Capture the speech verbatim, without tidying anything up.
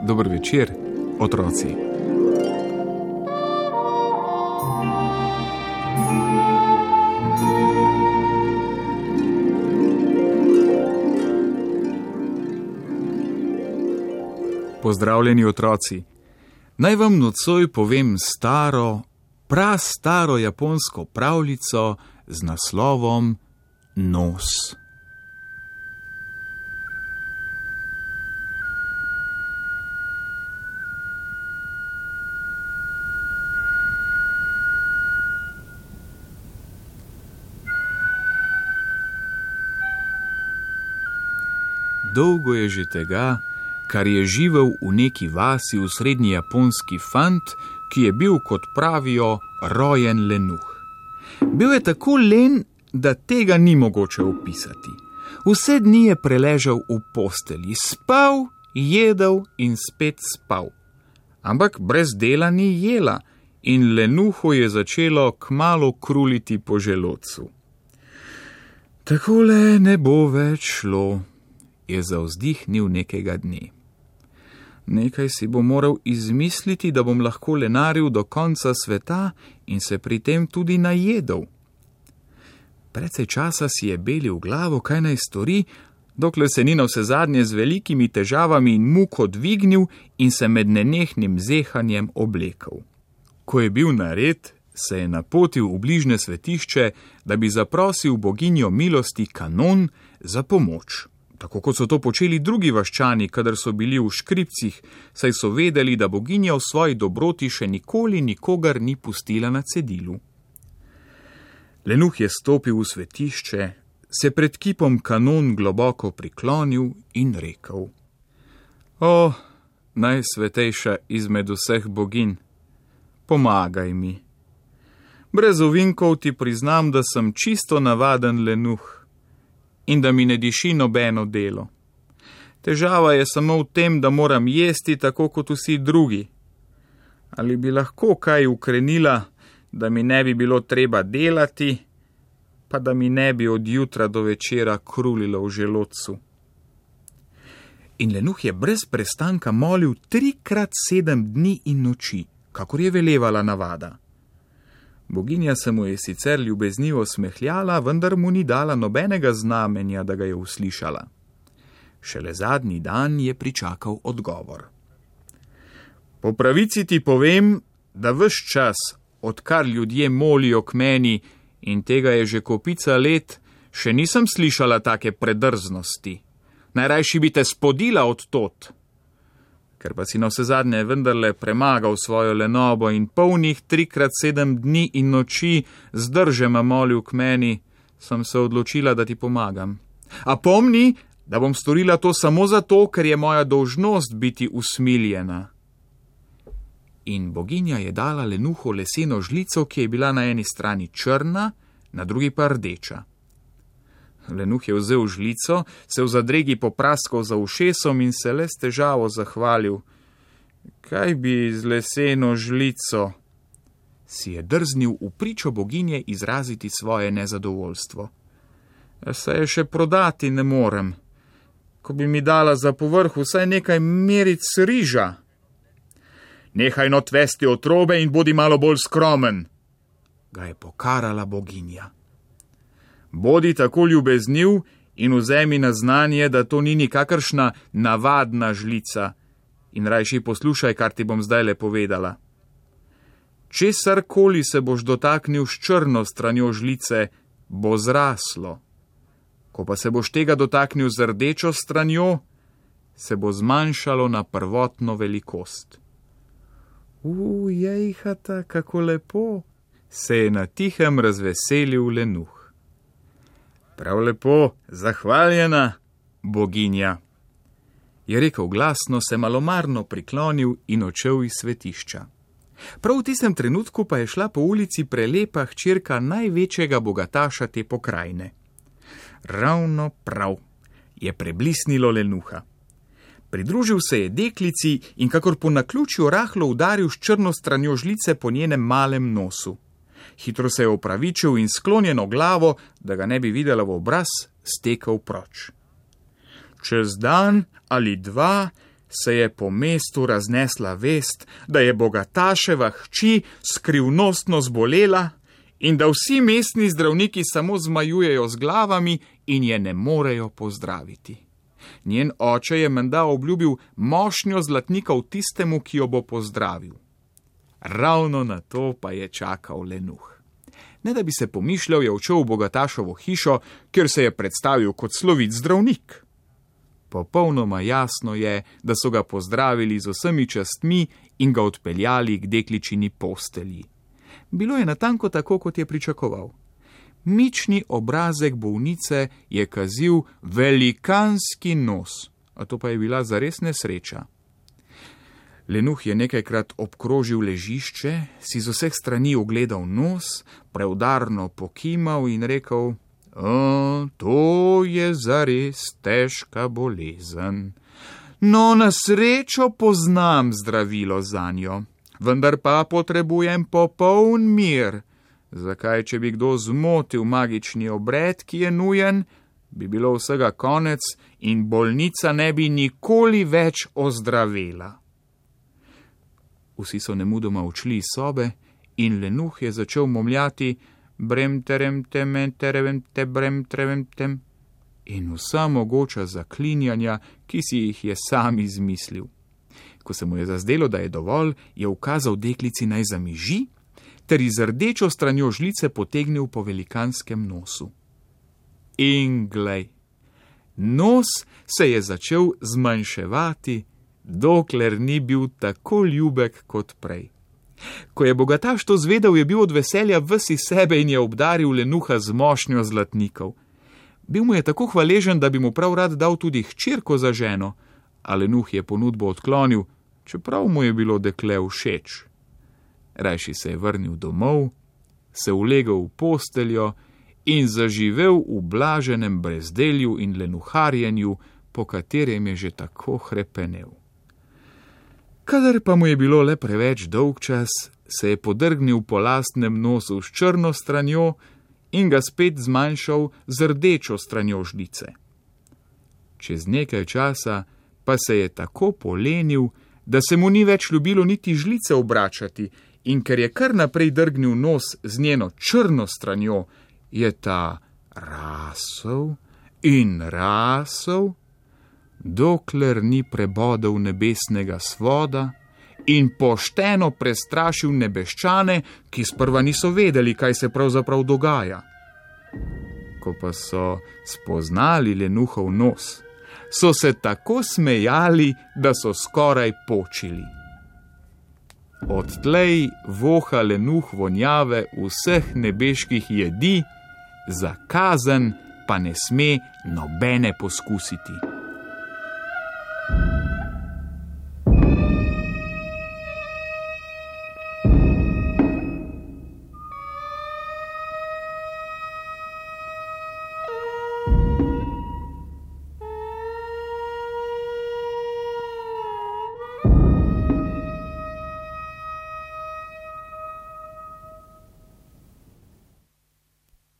Dober večer, otroci. Pozdravljeni, otroci. Naj vam nocoj povem staro, prastaro japonsko pravljico z naslovom Nos. Dolgo je že tega, kar je živel v neki vasi v srednji japonski fant, ki je bil, kot pravijo, rojen lenuh. Bil je tako len, da tega ni mogoče opisati. Vse dni je preležal v postelji, spal, jedel in spet spal. Ampak brez dela ni jela in lenuhu je začelo kmalu kruliti po želodcu. Takole ne bo več šlo, je zavzdihnil nekega dne. Nekaj si bo moral izmisliti, da bom lahko lenaril do konca sveta in se pri tem tudi najedel. Precej časa si je belil glavo, kaj naj stori, dokler se ni navsezadnje z velikimi težavami in muko dvignil in se med nenehnim zehanjem oblekel. Ko je bil nared, se je napotil v bližnje svetišče, da bi zaprosil boginjo milosti Kanon za pomoč. Tako kot so to počeli drugi vaščani, kadar so bili v škripcih, saj so vedeli, da boginja v svoji dobroti še nikoli nikogar ni pustila na cedilu. Lenuh je stopil v svetišče, se pred kipom Kanon globoko priklonil in rekel: O, najsvetejša izmed vseh boginj, pomagaj mi. Brez ovinkov ti priznam, da sem čisto navaden lenuh in da mi ne diši nobeno delo. Težava je samo v tem, da moram jesti tako kot vsi drugi. Ali bi lahko kaj ukrenila, da mi ne bi bilo treba delati, pa da mi ne bi od jutra do večera krulilo v želodcu? In lenuh je brez prestanka molil trikrat sedem dni in noči, kakor je velevala navada. Boginja se mu je sicer ljubeznivo smehljala, vendar mu ni dala nobenega znamenja, da ga je uslišala. Šele zadnji dan je pričakal odgovor. Po pravici ti povem, da ves čas, odkar ljudje molijo k meni, in tega je že kopica let, še nisem slišala take predrznosti. Najrajši bi te spodila od tot. Ker pa si navsezadnje vendarle premagal svojo lenobo in polnih trikrat sedem dni in noči zdržema molil k meni, sem se odločila, da ti pomagam. A pomni, da bom storila to samo zato, ker je moja dolžnost biti usmiljena. In boginja je dala lenuhu leseno žlico, ki je bila na eni strani črna, na drugi pa rdeča. Lenuh je vzel žlico, se v zadregi popraskal za ušesom in se le s težavo zahvalil. Kaj bi z leseno žlico? Si je drznil v pričo boginje izraziti svoje nezadovoljstvo. Saj je še prodati ne morem. Ko bi mi dala za povrh vsaj nekaj meric riža. Nehaj not vesti otrobe in bodi malo bolj skromen, ga je pokarala boginja. Bodi tako ljubezniv in vzemi na znanje, da to ni nikakršna navadna žlica, in rajši poslušaj, kar ti bom zdaj le povedala. Česarkoli se boš dotaknil s črno stranjo žlice, bo zraslo. Ko pa se boš tega dotaknil z rdečo stranjo, se bo zmanjšalo na prvotno velikost. Ujejhata, kako lepo, se je na tihem razveselil lenuh. Prav lepo, zahvaljena, boginja. je rekel glasno, se malomarno priklonil in odšel iz svetišča. Prav v tistem trenutku pa je šla po ulici prelepa hčerka največjega bogataša te pokrajine. Ravno prav je preblisnilo lenuha. Pridružil se je deklici in kakor po naključju rahlo udaril s črno stranjo žlice po njenem malem nosu. Hitro se je opravičil in sklonjeno glavo, da ga ne bi videla v obraz, stekel proč. Čez dan ali dva se je po mestu raznesla vest, da je bogataševa hči skrivnostno zbolela in da vsi mestni zdravniki samo zmajujejo z glavami in je ne morejo pozdraviti. Njen oče je menda obljubil mošnjo zlatnikov tistemu, ki jo bo pozdravil. Ravno na to pa je čakal lenuh. Ne da bi se pomišljal, je odšel v bogatašovo hišo, kjer se je predstavil kot slovit zdravnik. Popolnoma jasno je, da so ga pozdravili z vsemi častmi in ga odpeljali k dekličini postelji. Bilo je natanko tako, kot je pričakoval. Mični obrazek bolnice je kazil velikanski nos, a to pa je bila zares nesreča. Lenuh je nekajkrat obkrožil ležišče, si z vseh strani ogledal nos, preudarno pokimal in rekel: O, to je zares težka bolezen. No, na srečo poznam zdravilo zanjo, vendar pa potrebujem popoln mir. Zakaj, če bi kdo zmotil magični obred, ki je nujen, bi bilo vsega konec in bolnica ne bi nikoli več ozdravela. Vsi so nemudoma odšli iz sobe in lenuh je začel momljati brem terem temen terem te brem terem tem in vsa mogoča zaklinjanja, ki si jih je sam izmislil. Ko se mu je zazdelo, da je dovolj, je ukazal deklici naj zamiži ter iz rdečo stranjo žlice potegnil po velikanskem nosu. In glej, nos se je začel zmanjševati, dokler ni bil tako ljubek kot prej. Ko je bogataš to zvedel, je bil od veselja ves iz sebe in je obdaril lenuha z mošnjo zlatnikov. Bil mu je tako hvaležen, da bi mu prav rad dal tudi hčerko za ženo, a lenuh je ponudbo odklonil, čeprav mu je bilo dekle všeč. Rajši se je vrnil domov, se ulegel v posteljo in zaživel v blaženem brezdelju in lenuharjenju, po katerem je že tako hrepenel. Kadar pa mu je bilo le preveč dolgčas, se je podrgnil po lastnem nosu s črno stranjo in ga spet zmanjšal z rdečo stranjo žlice. Čez nekaj časa pa se je tako polenil, da se mu ni več ljubilo niti žlice obračati, in ker je kar naprej drgnil nos z njeno črno stranjo, je ta rasel in rasel, dokler ni prebodel nebesnega svoda in pošteno prestrašil nebeščane, ki sprva niso vedeli, kaj se pravzaprav dogaja. Ko pa so spoznali lenuhov nos, so se tako smejali, da so skoraj počili. Odtlej voha lenuh vonjave vseh nebeških jedi, za kazen pa ne sme nobene poskusiti.